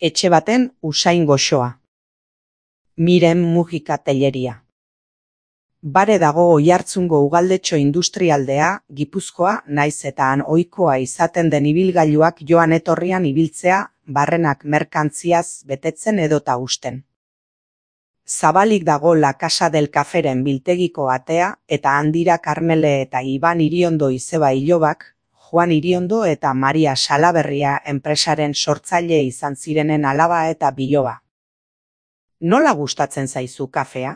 etxe baten usain goxoa. Miren Mujika Telleria. Bare dago Oiartzungo ugaldetxo industrialdea, Gipuzkoa, naiz eta han ohikoa izaten den ibilgailuak joan etorrian ibiltzea, barrenak merkantziaz betetzen edota husten. Zabalik dago La Casa del Caferen biltegiko atea eta handira Karmele eta Iban Iriondo izeba ilobak, Juan Iriondo eta Maria Salaberria enpresaren sortzaile izan zirenen alaba eta biloba. Nola gustatzen zaizu kafea?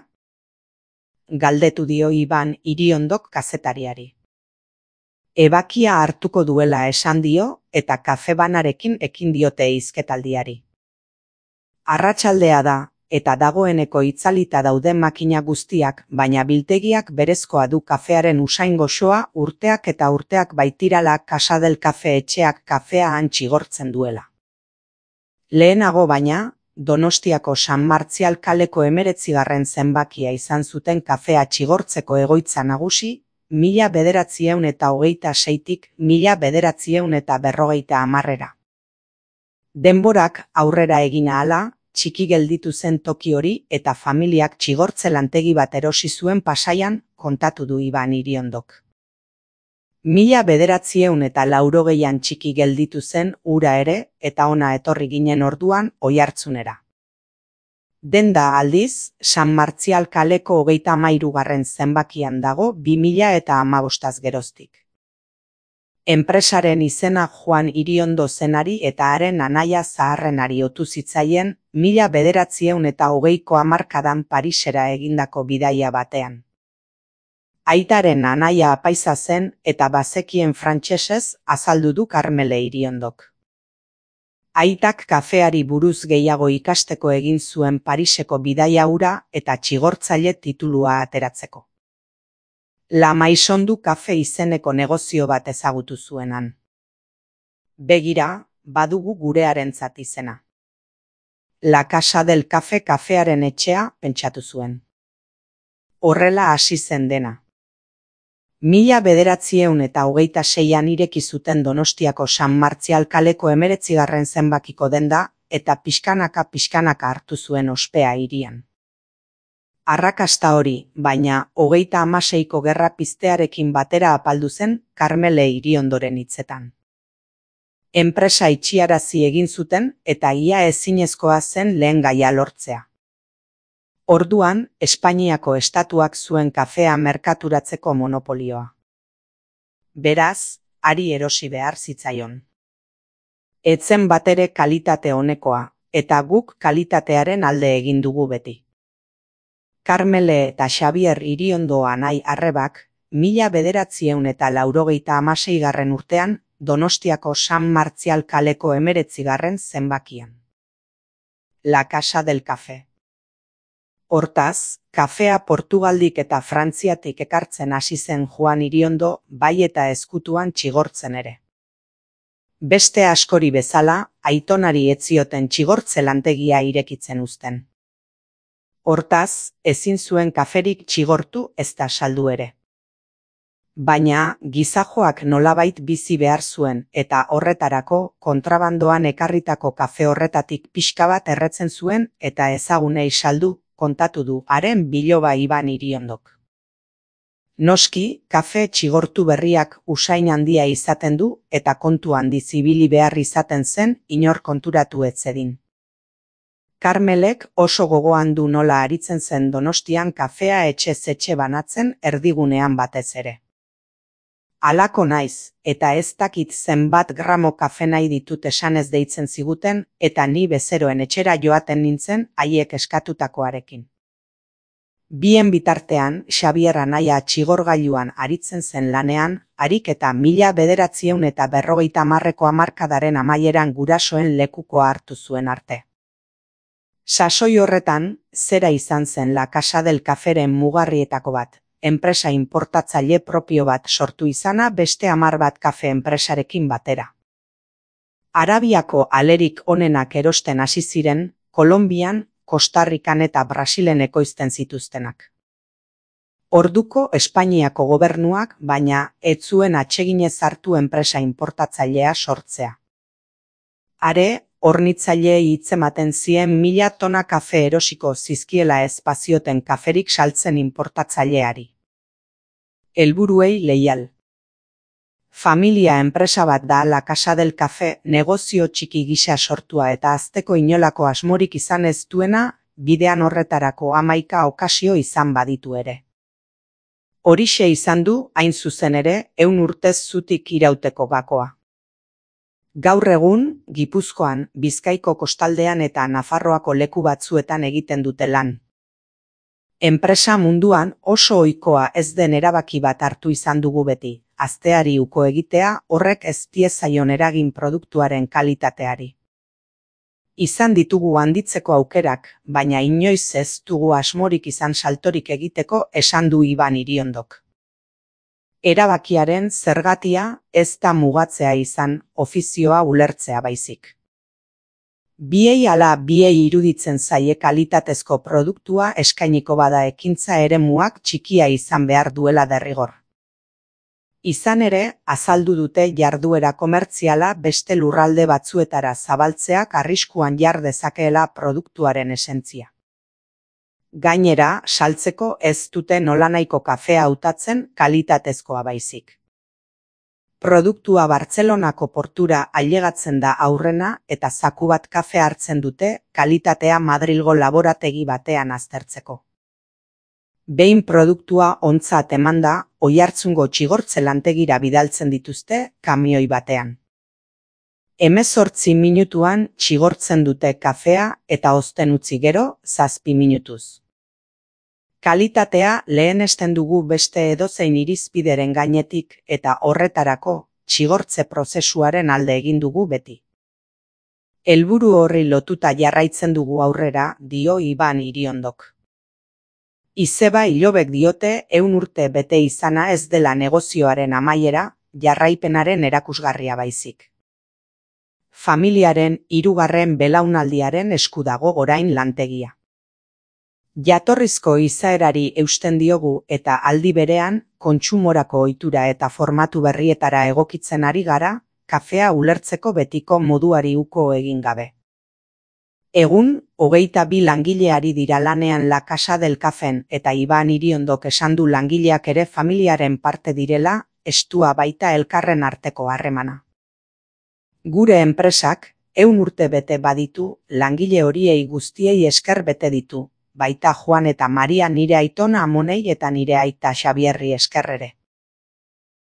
Galdetu dio Iban Iriondok kazetariari. Ebakia hartuko duela esan dio eta kafebanarekin ekin diote hizketaldiari. Arratsaldea da, eta dagoeneko itzalita dauden makina guztiak, baina biltegiak berezkoa du kafearen usain goxoa urteak eta urteak baitirala Casa del Cafe etxeak kafea han txigortzen duela. Lehenago baina, Donostiako San Martzial kaleko 19. zenbakia izan zuten kafea txigortzeko egoitza nagusi, 1926tik 1950. Denborak aurrera egin ahala, txiki gelditu zen toki hori eta familiak txigortze lantegi bat erosi zuen Pasaian, kontatu du Iban Iriondok. 1980an txiki gelditu zen ura ere eta ona etorri ginen orduan Oiartzunera. Denda aldiz, San Martzial kaleko 33. zenbakian dago 2015 geroztik. Enpresaren izena Juan Iriondo zenari eta haren anaia zaharrenari otu zitzaien 1920ko hamarkadan Parisera egindako bidaia batean. Aitaren anaia apaiza zen eta bazekien frantsesez azaldu du Karmele Iriondok. Aitak kafeari buruz gehiago ikasteko egin zuen Pariseko bidaia hura eta txigortzaile titulua ateratzeko. La Maison du Café izeneko negozio bat ezagutu zuenan. Begira, badugu gurearentzat izena. La Casa del Café kafearen etxea pentsatu zuen. Horrela hasi zen dena. 1926an ireki zuten Donostiako San Martzial kaleko 19. zenbakiko denda eta pixkanaka hartu zuen ospea hirian. Arrakasta hori, baina 36ko gerra piztearekin batera apaldu zen Karmele Iriondoren hitzetan. Enpresa itxiarazi egin zuten eta ia ezinezkoa zen lehen gaia lortzea. Orduan, Espainiako estatuak zuen kafea merkaturatzeko monopolioa. Beraz, hari erosi behar zitzaion. Etzen batere kalitate onekoa, eta guk kalitatearen alde egin dugu beti. Karmele eta Xabier Iriondo anai arrebak, 1986 urtean, Donostiako San Martzial kaleko 19. zenbakian. La Casa del Café. Hortaz, kafea Portugaldik eta Frantziatik ekartzen hasi zen Juan Iriondo, bai eta ezkutuan txigortzen ere. Beste askori bezala, aitonari ez zioten txigortze lantegia irekitzen uzten. Hortaz, ezin zuen kaferik txigortu ezta saldu ere. Baina, gizajoak nolabait bizi behar zuen eta horretarako kontrabandoan ekarritako kafe horretatik pixka bat erretzen zuen eta ezagunei saldu, kontatu du haren biloba Iban Iriondok. Noski, kafe txigortu berriak usain handia izaten du eta kontu handiz ibili behar izaten zen inor konturatu ez zedin. Karmelek oso gogoan du nola aritzen zen Donostian kafea etxez etxe banatzen erdigunean batez ere. Halako naiz, eta ez dakit zenbat gramo kafe nahi ditut esanez deitzen ziguten eta ni bezeroen etxera joaten nintzen haiek eskatutakoarekin. Bien bitartean, Xabier anaia txigorgailuan aritzen zen lanean, harik eta 1950ko hamarkadaren amaieran gurasoen lekukoa hartu zuen arte. Sasoi horretan, zera izan zen La Casa del Caferen mugarrietako bat, enpresa inportatzaile propio bat sortu izana beste 10 bat kafe enpresarekin batera. Arabiako alerik onenak erosten hasi ziren, Kolonbian, Kostarrikan eta Brasilen ekoizten zituztenak. Orduko Espainiako gobernuak, baina ez zuen atseginez hartu enpresa inportatzailea sortzea. Are, hornitzaileei hitzematen zien 1000 tona kafe erosiko zizkiela ez bazioten kaferik saltzen inportatzaileari. Helburuei leial. Familia enpresa bat da La Casa del Café, negozio txiki gisa sortua eta hasteko inolako asmorik izan ez duena, bidean horretarako 11 okasio izan baditu ere. Horixe izan du, hain zuzen ere, 100 urtez zutik irauteko gakoa. Gaur egun, Gipuzkoan, Bizkaiko kostaldean eta Nafarroako leku batzuetan egiten dute lan. Enpresa munduan oso ohikoa ez den erabaki bat hartu izan dugu beti, hazteari uko egitea horrek ez diezaion eragin produktuaren kalitateari. Izan ditugu handitzeko aukerak, baina inoiz ez dugu asmorik izan saltorik egiteko, esan du Iban Iriondok. Erabakiaren zergatia ez da mugatzea izan, ofizioa ulertzea baizik. Biei ala biei iruditzen zaie kalitatezko produktua eskainiko bada ekintza eremuak txikia izan behar duela derrigor. Izan ere, azaldu dute jarduera komertziala beste lurralde batzuetara zabaltzeak arriskuan jar dezakeela produktuaren esentzia. Gainera, saltzeko ez dute nolanahiko kafea hautatzen kalitatezkoa baizik. Produktua Bartzelonako portura ailegatzen da aurrena eta zaku bat kafe hartzen dute kalitatea Madrilgo laborategi batean aztertzeko. Behin produktua ontzat emanda, Oiartzungo txigortze lantegira bidaltzen dituzte kamioi batean. 18 minutuan txigortzen dute kafea eta ozten utzi gero 7 minutuz. Kalitatea lehenesten dugu beste edozein irizpideren gainetik eta horretarako txigortze prozesuaren alde egin dugu beti. Helburu horri lotuta jarraitzen dugu aurrera, dio Iban Iriondok. Izeba Ilobek diote 100 urte bete izana ez dela negozioaren amaiera, jarraipenaren erakusgarria baizik. Familiaren 3. belaunaldiaren esku dago orain lantegia. Jatorrizko izaerari eusten diogu eta aldi berean, kontsumorako ohitura eta formatu berrietara egokitzen ari gara, kafea ulertzeko betiko moduari uko egin gabe. Egun, 22 langileari dira lanean La Casa del Cafen eta Iban Iriondok esan du langileak ere familiaren parte direla, estua baita elkarren arteko harremana. Gure enpresak, 100 urte bete baditu, langile horiei guztiei esker bete ditu, baita Juan eta Maria nire aitona Amonei eta nire aita Xabierri esker ere.